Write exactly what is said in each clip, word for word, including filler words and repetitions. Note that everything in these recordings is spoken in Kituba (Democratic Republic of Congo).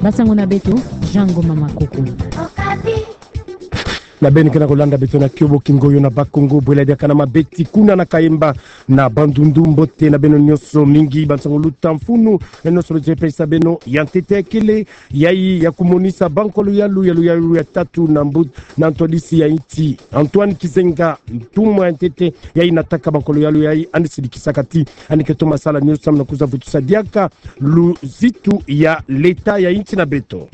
Basango na beto, Jean Ngoma Makoko. Na beno ke na kolanda beto na kiobo Kingoyo na Bakongo, bwela diaka na mabeti kuna na Kayemba na Bandundu. Mbote na beno nyonso mingi, bansango luta mfunu, na nyonso beto ke pesa beno. Ya ntete kele, yayi ya kumonisa bankolo yalu, ya luyalu ya tatu na mbu-, na ntwadisi ya insi, Antoine Gizenga, ntumwa ya ntete, yayi nataka bankolo yalu yayi, yandi sidikisaka ti yandi ke toma sala nyonso samu na kwiza vutusa diaka luzitu ya leta ya insi na beto.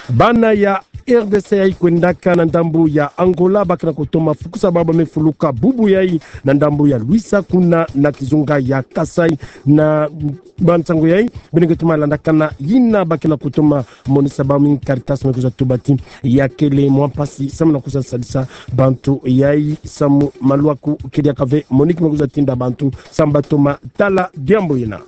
Bana ya R D C yayi kwendaka na ndambu ya Angola, ba ke na kutoma fukusa baba me fuluka bubu yayi na ndambu ya Luisa kuna na kizunga ya Kasaï. Na bansango yayi beno ke toma landakana, yina ba ke na kutoma monisa bau mingi Caritas me kwiza tuba ti ya kele mwa mpasi samu na kwiza sadisa bantu yayi samu maluaku ke diaka ve, Monique me kwiza tinda bantu samu ba toma tala diambu yina.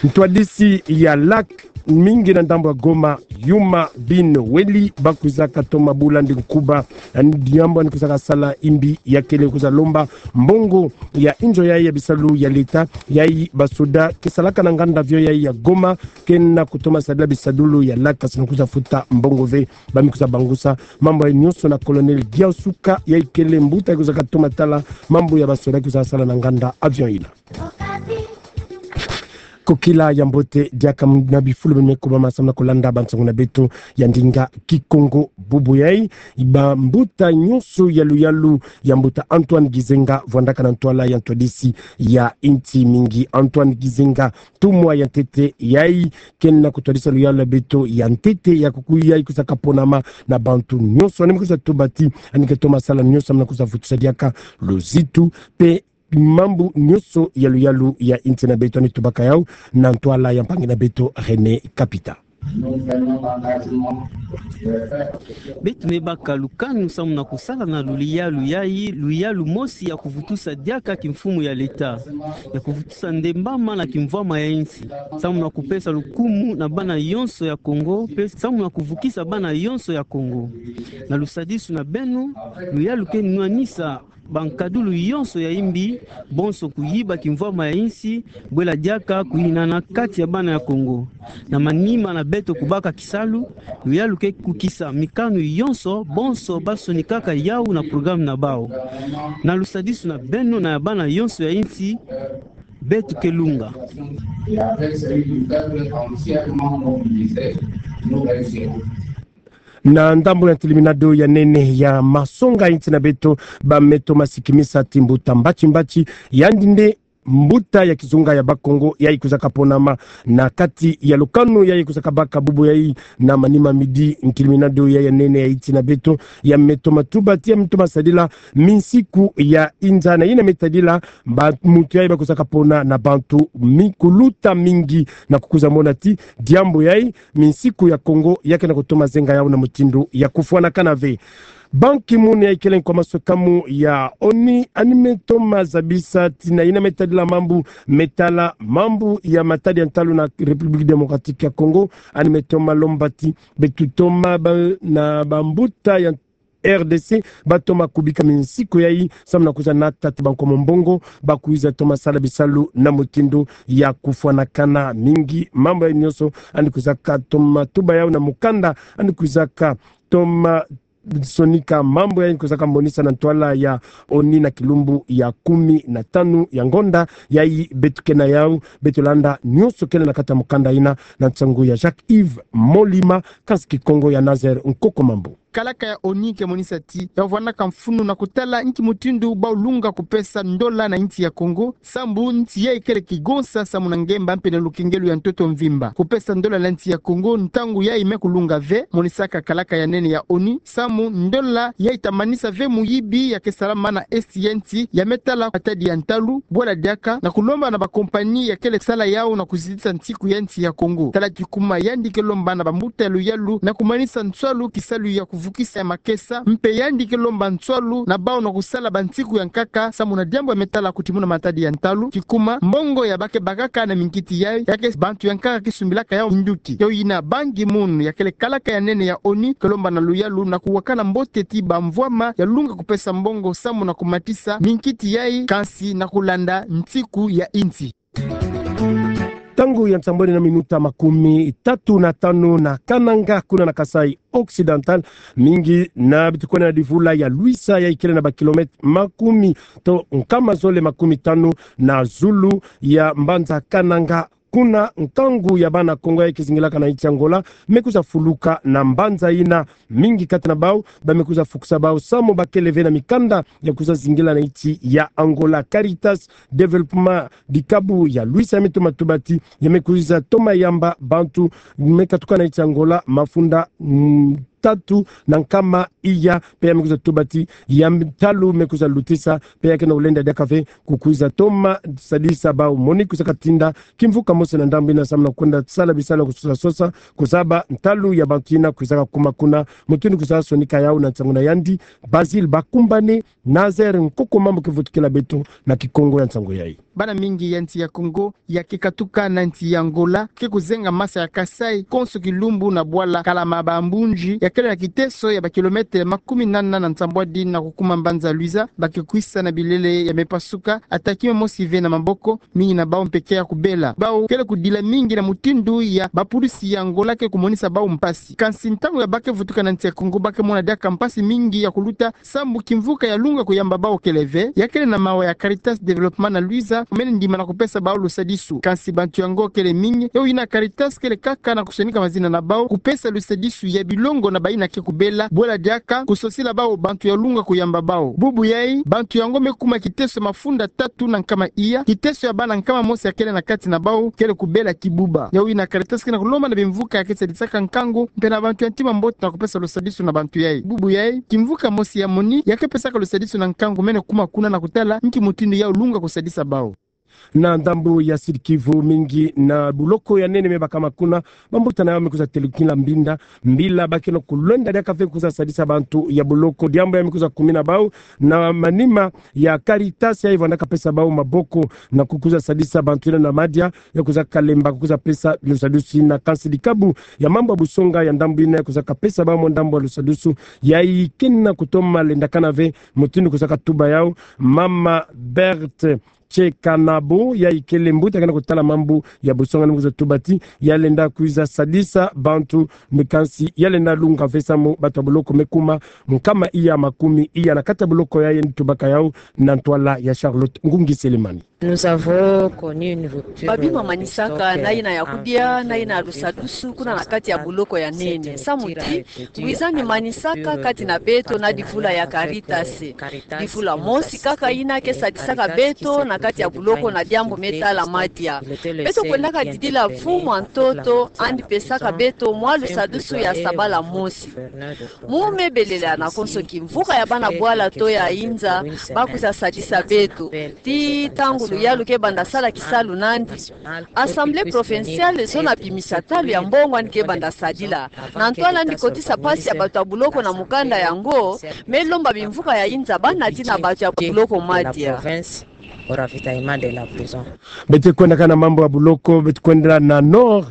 Ntwadisi ya lac mingi na ndambu ya Goma, Yuma, Beni, Wely, ba kwizaka toma bula ndi nkuba. Yandi diambu yandi kwizaka sala imbi ya kele kwiza lomba mbongo ya inzo yayi ya bisalu ya leta, yayi basoda ke salaka na nganda avion yayi ya Goma ke na kutoma sadila bisadulu ya lac, kasi na kwiza futa mbongo ve. Ba me kwiza bangusa mambu yayi nyonso na Colonel Giausuka, yayi kele mbuta yayi kwizaka toma tala mambu ya basoda kwizaka sala na nganda avion yina. Kokila ya mbote diaka na bifulu beno me kubama samu na kolanda bansango na beto ya ndinga Kikongo bubu yayi. Bambuta nyonso ya luyalu ya mbuta Antoine Gizenga vwandaka na ntwala ya ntwadisi ya insi mingi. Antoine Gizenga, ntumwa ya ntete yayi ke na kutwadisa luyalu ya beto ya ntete ya kuku yayi kwizaka ponama na bantu nyonso. Yandi me kwiza tuba ti yandi ke toma sala nyonso samu na kwiza vutusa diaka luzitu mpe mambu nyonso ya luyalu ya insi na beto. Yandi tubaka yau na ntwala ya mpangi na beto René Kapita. Beto me baka lukanu samu na kusala na luyalu yayi, luyalu mosi ya kuvutusa diaka kimfumu ya leta, ya kuvutusa ndembama na kimvwama ya insi, samu na kupesa lukumu na bana yonso ya Kongo, mpe samu na kuvukisa bana yonso ya Kongo. Na lusadisu na beno, luyalu ke nwanisa bankadulu yonso ya imbi, bonso kuyiba kimvwama ya insi, bwela diaka kuhinana kati ya bana ya Kongo. Na manima na beto kubaka kisalu, luyalu ke kukisa mikanu yonso, bonso ba sonikaka yau na programme na bau. Na lusadisu na beno na ya bana yonso ya insi, beto ke lunga. Na ndambu ya ntiliminado ya nene ya masonga insi na beto, ba me toma sikimisa ti mbuta Mbatshi Mbatshi, yandi nde mbuta ya kizunga ya Bakongo yayi kwizaka ponama na kati ya lukanu yayi kwizaka baka bubu yayi na manima midi. Ntiliminado yayi ya nene ya insi na beto, ya me toma tuba ti ya me toma sadila minsiku ya inza na yina me tadila ba muntu yayi ba kwizaka pona na bantu mi-, kuluta mingi na kukwiza mona ti diambu yayi minsiku ya Kongo ya ke na kutoma zenga yau na mutindu ya kufwanakana ve. Ban Ki-moon yayi kele nkwa maswekamu ya ONU, yandi me toma zabisa ti na yina me tadila mambu me tala mambu ya matadi ya ntalu na République Démocratique ya Congo, yandi me toma lomba ti beto toma ba, na bambuta ya R D C, ba toma kubika minsiku yayi, samu na kwiza nata ti bankomo mbongo, ba kwiza toma sala bisalu na mutindu ya kufwanakana mingi. Mambu yayi nyonso, yandi kwizaka toma tuba yau na mukanda, yandi kwizaka toma sonika mambu yayi kwizaka monisa na ntwala ya ONU na kilumbu ya kumi na tanu ya ngonda yayi beto ke na yau, beto landa nyonso kele na kati ya mukanda yina, na nsangu ya Jacques-Yves Molima, kansi Kikongo ya Nazaire Nkoko Mambu. Kalaka ya ONU ke monisa ti ya vwanaka mfunu na kutala nki mutindu bau lunga kupesa ndola na insi ya Congo, sambu nsi yayi kele kigonsa samu na ngemba mpe na lukengelo ya ntoto mvimba. Kupesa ndola na insi ya Congo ntangu yayi me kulunga ve, monisaka kalaka ya nene ya ONU, samu ndola yayi ta manisa ve muyibi ya ke salama na Est ya insi, ya me tala matadi ya ntalu, bwela diaka na kulomba na ba compagnie ya kele sala yau na kuzitisa nsiku ya insi ya Congo. Tala kikuma yandi ke lomba na bambuta ya luyalu na kumanisa nswalu kisalu ya kuvukisa ya makesa, mpe yandi ke lomba nswalu na bau na kusala bansiku ya nkaka, samu na diambu ya me tala kutimuna matadi ya ntalu. Kikuma, mbongo ya ba ke bakaka na minkiti yayi, ya ke bantu ya nkaka ke sumbilaka yau nduki. Yo yina Ban Ki-moon, ya kele kalaka ya nene ya ONU, ke lomba na luyalu na kuwakana mbote ti bamvwama ya lunga kupesa mbongo samu na kumatisa minkiti yayi, kansi na kulanda nsiku ya insi. ntangu ya nsambwadi na minuta makumi tatu na tanu na Kananga, kuna na Kasaï Occidental, mingi na beto kwenda na divula ya Luiza, ya ikele na ba kilomètre makumi to nkama zole makumi tanu na zulu ya mbanza Kananga. Kuna nkangu ya bana Kongo ya kizingilaka na insi Angola me kwiza fuluka na mbanza ina. Mingi kati na bau ba me kwiza fukisa bau samu ba kele ve na mikanda ya kwiza zingila na insi ya Angola. Caritas Développement Dikabu ya Luiza me toma tuba ti ya me kwiza toma yamba bantu me katuka na insi Angola mafunda, mm, tatu na nkama iya, mpe ya me kwiza tuba ti ya ntalu me kwiza lutisa, mpe ya ke na ulenda diaka ve ku kwiza toma sadisa bau. Monique kwiza katinda kimvuka mosi na ndambu ina samu na kwenda sala bisalu ya kusosa sosa, kuzaba ntalu ya bantu ina kwizaka kuma kuna. Mutindu kwiza sonika yau na nsangu na yandi, Basile Bakumbane, Nazaire Nkoko, mambu ke vutukila beto na Kikongo ya nsangu yai. Bana mingi ya nsi ya Kongo ya ke katuka na nsi ya Angola ke kuzenga masa ya Kasaï konso kilumbu na bwala Kalama Bambunji, ya kele na kiteso ya ba kilomètre makumi nana na nsambwadi na kukuma mbanza Luiza, ba ke kwisa na bilele ya me pasuka, ata kima mosi ve na maboko, mingi na bau mpe ke ya kubela. Bau kele kudila mingi na mutindu ya ba pulisi ya Angola ke kumonisa bau mpasi. Kansi ntangu ya ba ke vutuka na nsi ya Kongo, ba ke mona diaka mpasi mingi ya kuluta samu kimvuka ya lunga kuyamba bau kele ve. Ya kele na mawa ya Caritas Développement na Luiza, mene ndima na kupesa bau lusadisu. Kansi bantu yango kele mingi, yawu ina Caritas kele kaka na kusonika mazina na bau, kupesa lusadisu ya bilongo na baina ke kubela, bwela diaka kusosila bau bantu ya lunga kuyamba bau. Bubu yai, bantu yango me kuma kiteso mafunda tatu na nkama iya, kiteso ya bana nkama mosi ya kele na kati na bau kele kubela kibuba. Yawu ina Caritas ke na kulomba na bimvuka ya ke sadisaka nkangu, mpe na bantu ya ntima mbote na kupesa lusadisu na bantu yai. Bubu yai, kimvuka mosi ya Monique ya ke pesaka lusadisu na nkangu mene kuma kuna na kutala nki mutindu yawu lunga kusadisa bau. Na ndambu ya Sud-Kivu, mingi na buloko ya nene me bakama kuna, bambuta na yau me kwiza telukila mbinda, mbila ba ke na kulenda diaka ve kwiza sadisa bantu ya buloko. Diambu ya me kwiza kumina bau na manima ya Caritas ya ivanda kapesa bau maboko na kukwiza sadisa bantu ina na madia, ya kwiza kalemba kukwiza pesa lusadisu ina. Kansi dikabu ya mambu ya busonga ya ndambu ina ya kwiza kapesa bau mwa ndambu ya lusadisu, ya ikena kutoma lendakana ve, mutindu kwiza katuba yau Mama Berthe Tchekanabo, ya ikele mbuta ke na kutala mambu ya busonga, ni kwiza tuba ti ya lenda kwiza sadisa bantu, mpe kansi ya lenda lunga ve samu bantu ya buloko me kuma nkama iya makumi iya na kati ya buloko yai. Ni tubaka yau na ntwala ya Charlotte Ngungi Selemani. Babima manisaka na ina ya kudia, na ina ya lusadusu kuna na kati ya buloko ya nene. Samu ti, ngwizani manisaka kati na beto na difula ya Caritas. Difula mosi kaka ina ke sadisaka beto na kati ya buloko na diambu me tala madia. Beto kwendaka didila mfumu ya ntoto, andi pesaka beto mwa lusadusu ya sabala mosi. Mu me belela na konso kimvuka ya bana bwala to ya inza, ba kwiza sadisa beto. Ti ntangu luyalu ke banda sala kisalu nandi, Assemblée provinciale zona bimisa talu ya mbongo andi ke banda sadila. Na ntwala andi kotisa mpasi ya bantu ya buloko na mukanda yango, me lomba bimvuka ya inza bana ti na bantu ya buloko madia. Beto kwendaka na mambu ya buloko, beto kwenda na Nord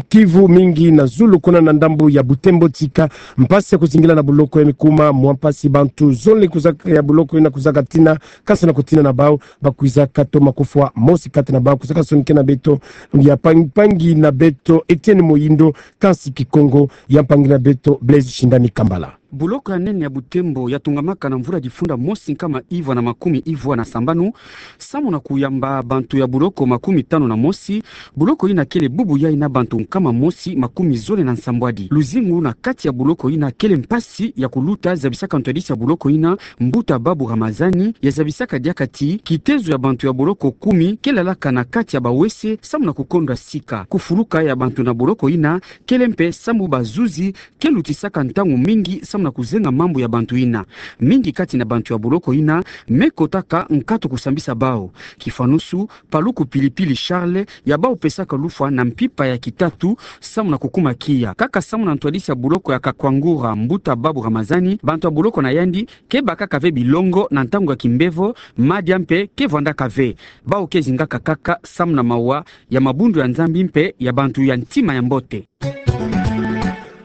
Kivu, mingi na zulu kuna na ndambu ya Butembo, tika mpasi ya kuzingila na buloko ya me kuma mwa mpasi. Bantu zole kwiza, ya buloko ina kwiza katina, kansi na kutina na bau, ba kwiza katoma kufwa. Mosi kati na bau kwiza kasonikena beto, ya mpangi, mpangi na beto Etienne Moyindo, kansi Kikongo ya mpangi na beto Blaise Shindani Kambala. Buloko ya nene ya Butembo ya tungamaka na mvula difunda mosi nkama ivwa na makumi ivwa na sambanu, samu na kuyamba bantu ya buloko makumi tanu na mosi. Buloko ina kele bubu yai na bantu nkama mosi makumi zole na nsambwadi. Luzingu na kati ya buloko ina kele mpasi ya kuluta, zabisaka ntwadisi ya buloko ina, Mbuta Babu Ramazani, ya zabisaka diaka ti kitezo ya bantu ya buloko kumi ke lalaka na kati ya bawese samu na kukondwa sika. Kufuluka ya bantu na buloko ina kele mpe samu bazuzi ke lutisaka ntangu mingi samu na kuzenga mambu ya bantu ina. Mingi kati na bantu ya buloko ina me kotaka nkatu kusambisa bau. Kifanusu, Paluku Pilipili Charles, ya bau pesaka lufwa na mpimpa ya kitatu samu na kukuma kiya. Kaka samu na ntwadisi ya buloko ya Kakwangura, Mbuta Babu Ramazani, bantu ya buloko na yandi ke bakaka ve bilongo na ntangu ya kimbevo, madia mpe ke vwandaka ve. Bau ke zingaka kaka samu na mawa ya mabundu ya Nzambi mpe ya bantu ya ntima ya mbote.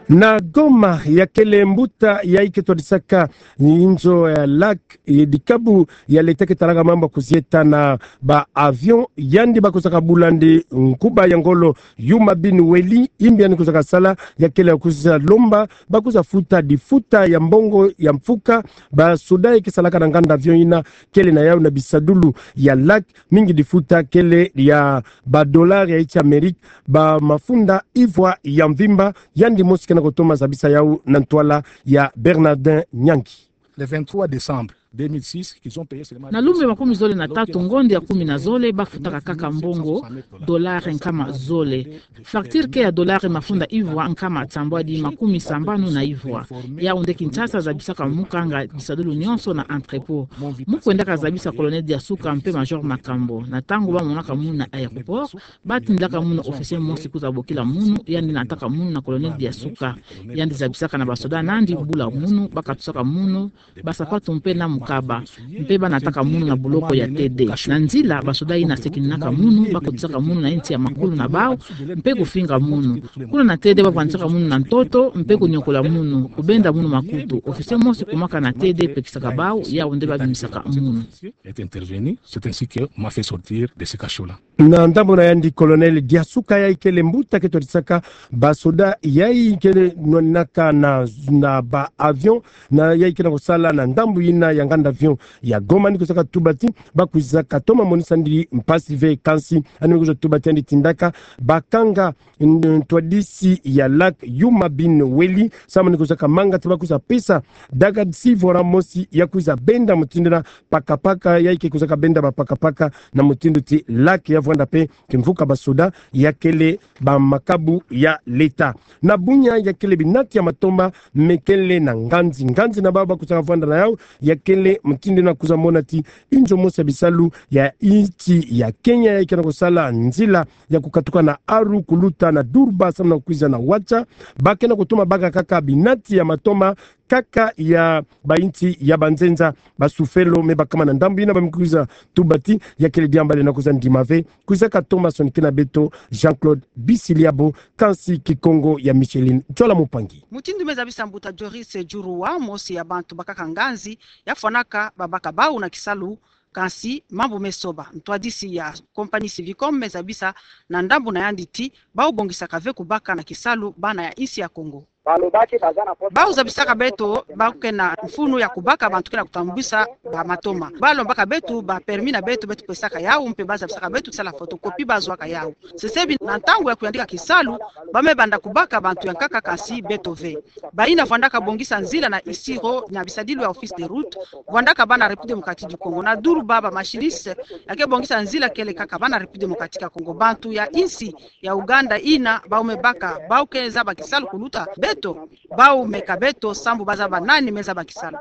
Na Goma, ya kele mbuta yayi ke twadisaka inzo ya lac, e, dikabu ya leta ke talaka mambu ya kuzieta na ba avion, yandi ba kuzaka bula ndi nkuba ya ngolo Yuma Bin Wely, imbi yandi kuzaka sala, ya kele ya kuza lomba ba kuza futa difuta ya mbongo ya mfuka, ba soda yayi ke salaka na nganda avion yina kele na yawu na bisadulu ya lac, mingi difuta kele ya ba dollar ya insi Amerika, ba mafunda ivwa ya mvimba, yandi mosi ke na kutoma zabisa yawu na ntwala ya Bernardin Nyangi. Le vingt-trois décembre deux mille six, qu'ils ont payé seulement... Na lumbu ya makumi zole na tatu, ngonde ya kumi na zole, ba futaka kaka mbongo dollar nkama zole. Facture ke ya dollar mafunda ivwa nkama nsambwadi makumi sambanu na ivwa. Yawu nde Kinshasa zabisaka mukanga bisadulu nyonso na entrepôt. Mu kwendaka zabisa Colonel Diasuka mpe Major Makambo. Na ntangu ba monaka munu na aéroport, ba tindilaka munu officier mosi kuza bokila munu, yandi nataka munu na Colonel Diasuka. Yandi zabisaka na ba soda nandi bula munu, ba katusaka munu ba sapatu mpe na mukaba, mpe ba nataka munu na buloko ya T D. Na nzila, ba soda yina sekininaka munu, ba kotisaka munu na insi ya makulu na bawu, mpe kufinga munu. Kuna na T D ba vwandisaka munu na ntoto, mpe kuniokola munu, kubenda munu makutu. Officier mosi kumaka na T D pekisaka bawu, yawu nde ba bimisaka munu. Est intervenu, c'est ainsi que m'a fait sortir de ce cachot-là. Na ndambu na yandi, Colonel Diasuka yayi kele mbuta ke twadisaka ba soda yayi ke nwanaka na, na ba avion, na yayi ke na kusala na ndambu yina ya nganda avion ya Goma, ni kuzaka tuba ti ba kwizaka toma monisa ndi mpasi ve, kansi yandi me kwiza tuba ti yandi tindaka ba kanga n-, ntwadisi ya lac Yuma Bin Wely, samu ni kuzaka manga ti ba kwiza pesa daga six vola mosi ya kwiza benda mutindu na pakapaka, yayi ke kuzaka benda ba pakapaka na mutindu ti lac ya vwanda mpe kimvuka ba soda, ya kele ba makabu ya leta. Na bunya, ya kele binati ya matomba me kele na nganzi. Nganzi na bawu ba kuzaka vwanda na yawu, ya kele mutindu na kwiza mona ti inzo mosi ya bisalu ya insi ya Kenya yayi ke na kusala nzila ya kukatuka na Aru kuluta na Durba samu na kwiza na Ouacha, ba ke na kutoma baka kaka binati ya matomba kaka ya ba insi ya banzenza, ba sufelo. Me bakama na ndambu yina ba me kwiza tuba ti ya kele diambu lenda kwiza ndima ve. Kwizaka toma sonikena beto Jean-Claude Bisiliabo, kansi Kikongo ya Micheline Ntsola Mupangi. Mutindu me zabisa mbuta Joris Djurua, mosi ya bantu bakaka nganzi, ya fwanaka babaka bawu na kisalu, kansi mambu me soba. Ntwadisi ya compagnie Syvicom me zabisa na ndambu na yandi ti bawu bongisaka ve kubaka na kisalu bana ya insi ya Kongo. Bawu zabisaka beto bawu ke na mfunu ya kubaka bantu ke na kutambwisa ba matoma. Ba lombaka beto ba permis na beto, beto pesaka yawu, mpe ba zabisaka beto ti sala photocopie, ba zwaka yawu. Sesebi na ntangu ya kuyandika kisalu, ba me banda kubaka bantu ya nkaka, kansi beto ve. Bayina vwandaka bongisa nzila na Isiro na bisadilu ya Office des Routes, vwandaka bana République Démocratique du Congo. Na Durba, ba machinistes ya ke bongisa nzila kele kaka bana République Démocratique ya Congo. Bantu ya insi ya Uganda yina bawu me baka, bawu ke zaba kisalu kuluta beto, bawu meka beto sambu ba zaba nani me zaba kisalu.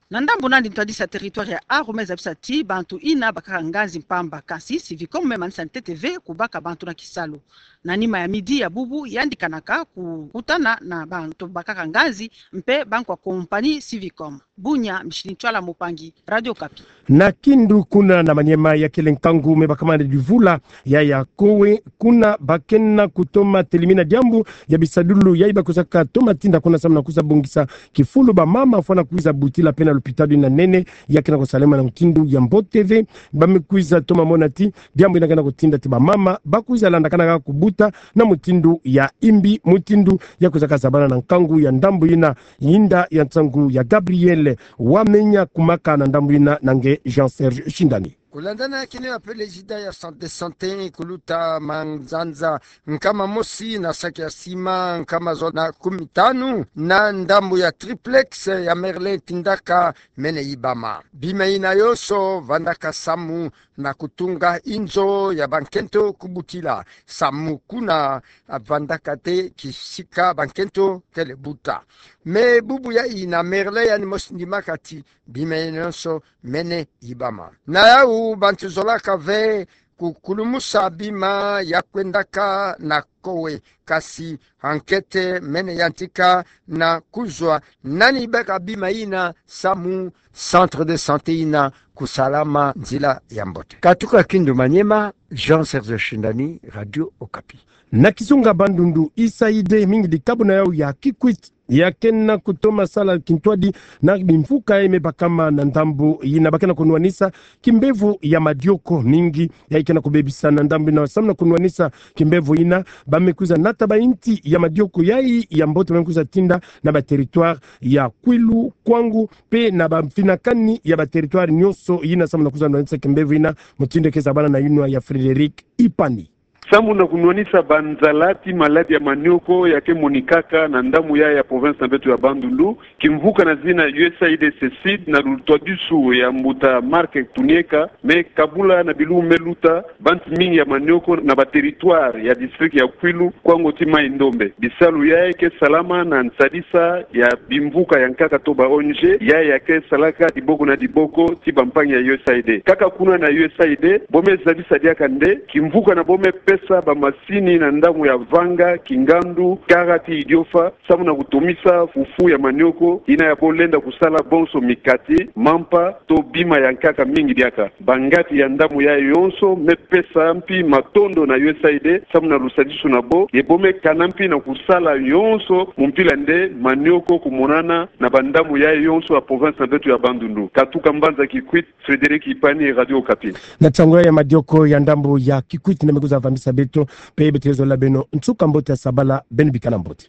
Na ndambu na yandi, ntwadisi ya territoire ya Aru me zabisa ti bantu yina bakaka nganzi mpamba, kansi Syvicom me manisa ntete ve kubaka bantu na kisalu. Na nima ya midi ya bubu, yandi kanaka kukutana na bantu bakaka nganzi mpe bankwa compagnie Syvicom. Bunya, Micheline Ntsola Mupangi, Radio Okapi. Na Kindu kuna na Maniema, ya kele nkangu me bakama na divula ya ya kowe, kuna ba ke na kutoma telimina diambu ya bisadulu yayi ba kwizaka toma tinda kuna samu na kwiza bongisa kifulu ba mama fwana kwiza butila mpe na lopitalo yina nene, ya ke na kusalama na mutindu ya mbote ve. Ba me kwiza toma mona ti diambu yina ke na kutinda ti ba mama ba kwiza landakana kaka kubuta na mutindu ya imbi, mutindu ya kwizaka zabana na nkangu ya ndambu yina. Yinda ya nsangu ya Gabriel Wamenya, kumaka na ndambu yina na nge Jean Serge Shindani. Kulandana kina ya président ya centre de santé kuluta manzanza nkama mosi na saki ya sima nkama zole na kumi tanu na ndambu ya triplex ya Merlin tindaka mene yibama. Bima yina yonso vandaka samu na kutunga inzo ya bankento kubutila, samu kuna vandaka te kisika bankento kele buta. Me bubu yayi na Merlin yandi mosi ndimaka ti bima yina yonso mene yibama. Na yawu bantu zolaka ve kukulumusa bima ya kwendaka na kowe, kasi enquête mene yantika na kuzwa nani baka bima ina samu centre de santé ina kusalama nzila ya mbote. Katuka Kindu Maniema, Jean Serge Shindani, Radio Okapi. Na kizunga Bandundu, U S A I D mingi dikabuna yau ya Kikwit ya kena kutoma sala kintwadi na bimvuka ya ime bakama na ndambu yina, ba kena kunwanisa kimbevo ya madioko mingi ya ikena kubebisa na ndambu yina. Samu na kunwanisa kimbevo yina, ba me kwiza nata ba inti ya madioko yayi ya mbote ba me kwiza tinda na ba territoire ya Kwilu, Kwango, mpe na ba mfinakani ya ba territoire nyonso yina, samu na kwiza nwanisa kimbevo yina. Mutindu ke zabana na yinwa ya Frédéric Ipani. Samu na kunwanisa banzala ti maladi ya manioko ya ke monikaka na ndambu ya, ya province na beto ya Bandundu, kimvuka na zina U S A I D CECID na lutwadisu ya mbuta Marc Tunieka, me kabula na bilumbu me luta banti mingi ya manioko na ba territoire ya district ya Kwilu, Kwango ti Mai-Ndombe. Bisalu yayi ke salama na nsadisa ya bimvuka ya nkaka to ba O N G, yayi ya ke salaka diboko na diboko ti bampangi ya U S A I D. Kaka kuna na U S A I D, bo me zabisa diaka nde kimvuka na bo me pesa ba masini na ndambu ya Vanga, Kingandu, Kara ti Idiofa, samu na kutomisa fufu ya manioko yina ya bo lenda kusala bonso mikate, mampa, to bima ya nkaka mingi diaka. Bangati ya ndambu yayi yonso me pesa mpi matondo na U S A I D samu na lusadisu na bo, ye bo me kana mpi na kusala yonso mu mpila nde manioko kumonana na ba ndambu yayi yonso ya province na beto ya Bandundu. Katuka mbanza Kikwit, Frédéric Ipani, Radio Okapi. Na ntangu ya madioko ya ndambu ya Kikwit nde me kwiza vambisa beto, mpe beto ke zola beno nsuka mbote ya sabala, beno bikana mbote.